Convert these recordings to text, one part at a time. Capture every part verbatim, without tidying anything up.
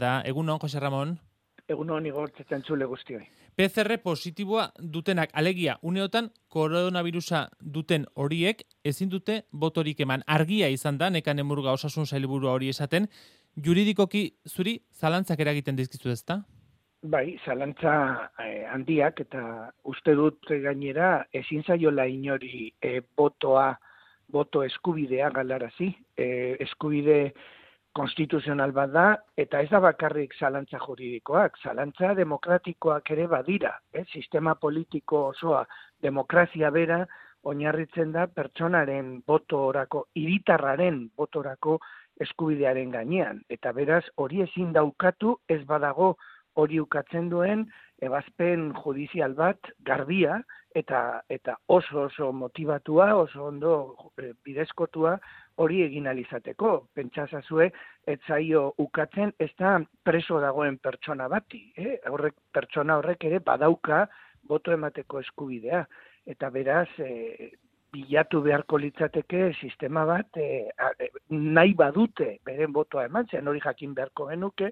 Da, egunon, Jose Ramon. Egunon, Igor, txetantzule guztioi. P C R positiboa dutenak, alegia, uneotan koronavirusa duten horiek ezin dute botorik eman. Argia izan da, Nekane Murga osasun sailburua hori esaten, juridikoki zuri zalantzak eragiten dizkizu ezta? Bai, zalantza eh, handiak eta uste dut gainera ezin zaiola inori eh, botoa, boto eskubidea galarazi. Eh, eskubide konstituzional bat da, eta ez da bakarrik zalantza juridikoak, zalantza demokratikoak ere badira. Eh? Sistema politiko osoa, demokrazia bera, oinarritzen da pertsonaren botorako, hiritarraren botorako eskubidearen gainean. Eta beraz, hori ezin daukatu ez badago hori ukatzen duen ebazpen judizial bat garbia eta eta oso oso motivatua, oso ondo e, bidezkotua hori egin alizateko. Pentsazazue, ez zaio ukatzen, ez da preso dagoen pertsona bati. Eh? Horrek, pertsona horrek ere badauka boto emateko eskubidea. Eta beraz, e, bilatu beharko litzateke sistema bat e, a, e, nahi badute beren botoa eman, zen hori jakin beharko genuke,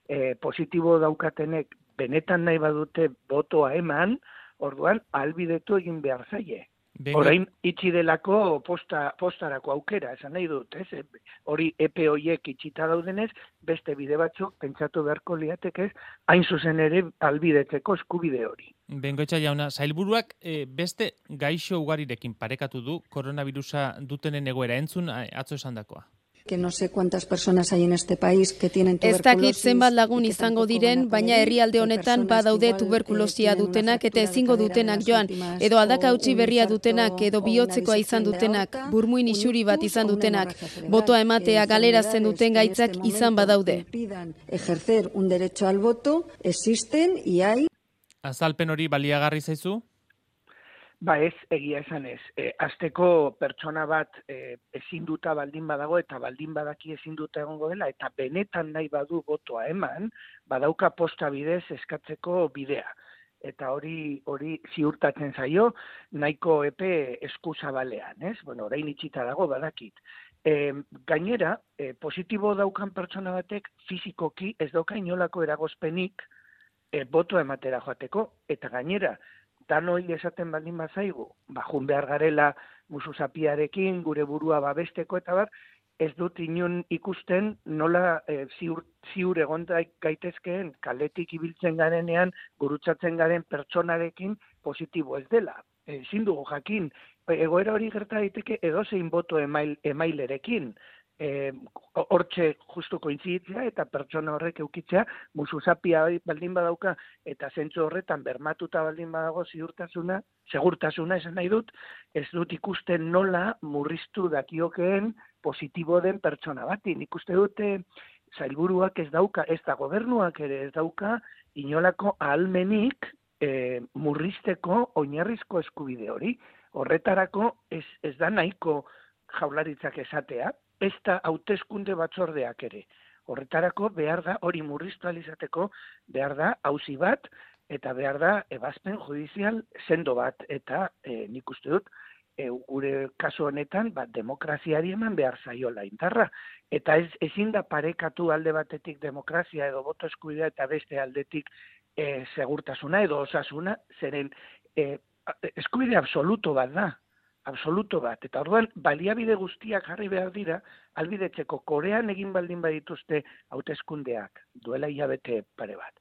e, positibo daukatenek benetan nahi badute botoa eman, orduan ahalbidetu egin behar zaie. Bengo. Orain itxi delako posta, postarako aukera, esan nahi dut, ez? Hori epe horiek itxita daudenez, beste bide batzuk pentsatu beharko liatekez, hain zuzen ere ahalbidetzeko eskubide hori. Bengoetxa jauna, sailburuak e, beste gaixo ugarirekin parekatu du koronavirusa dutenen egoera, entzun atzo esandakoa. Que no sé cuántas personas hay en este país que tienen tuberculosis. Ez dakit zenbat lagun izango diren, baina herrialde honetan badaude tuberkulosia dutenak eta ezingo dutenak joan, edo aldaka utzi berria dutenak, edo bihotzekoa izan dutenak, burmuin isuri bat izan dutenak, botoa ematea galeratzen duten gaitzak izan badaude. Ejercer un derecho al voto existen y hay. Azalpen hori baliagarri zaizu? Ba ez, egia esan ez. E, azteko pertsona bat e, ezin duta baldin badago eta baldin badaki ezin duta egongo dela eta benetan nahi badu botoa eman, badauka posta bidez eskatzeko bidea. Eta hori hori ziurtatzen zaio nahiko epe eskuzabalean, ez? Bueno, orain itxita dago badakit. E, gainera, e, positibo daukan pertsona batek fizikoki ez dauka inolako eragozpenik e, botoa ematera joateko, eta gainera, danoi esaten baldin bazaigu, bajun behar garela musuzapiarekin, gure burua babesteko eta bar, ez dut inon ikusten nola e, ziur, ziur egon gaitezkeen kaletik ibiltzen garenean, gurutzatzen garen pertsonarekin positibo ez dela. Ezin dugu jakin, egoera hori gerta daiteke edozein boto email, emailerekin, E, hortxe justu kointziditzea eta pertsona horrek eukitzea musuzapia baldin badauka eta zentzu horretan bermatuta baldin badago ziurtasuna, segurtasuna esan nahi dut, ez dut ikusten nola murriztu dakiokeen positibo den pertsona bati. Nik uste dute sailburuak ez dauka, ez da gobernuak ere ez dauka inolako ahalmenik e, murrizteko oinarrizko eskubide hori. Horretarako ez, ez da nahiko jaurlaritzak esatea, ez da hauteskunde batzordeak ere. Horretarako behar da, hori murriztu alizateko, behar da auzi bat, eta behar da ebazpen judizial sendo bat. Eta e, nik uste dut, e, gure kasu honetan, bat demokraziari eman behar zaiola indarra. Eta ez, ezin da parekatu alde batetik demokrazia edo boto eskubidea eta beste aldetik e, segurtasuna edo osasuna, zeren e, eskubide absoluto bat da. Absoluto bat, eta orduan baliabide guztiak jarri behar dira, albidetzeko Korean egin baldin badituzte hauteskundeak, duela hilabete pare bat.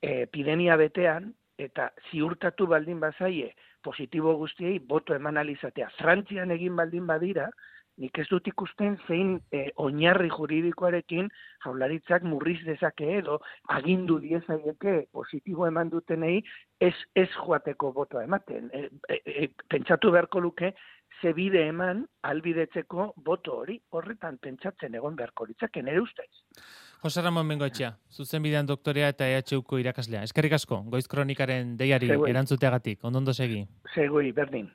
E, epidemia betean, eta ziurtatu baldin bazaie, positibo guztiei boto eman alizatea. Frantzian egin baldin badira, nik ez dut ikusten zein e, oinarri juridikoarekin jaurlaritzak murriz dezake edo agindu diezaieke positibo eman dutenei ez, ez joateko botoa ematen. E, e, e, pentsatu beharko luke ze bide eman albidetzeko boto hori, horretan pentsatzen egon beharko litzake nere ustez. Jose Ramon Bengoetxea, zuzenbidean doktorea eta E H Uko irakaslea. Eskerrik asko, Goiz Kronikaren deiari erantzuteagatik. Ondondo segi. Segui, berdin.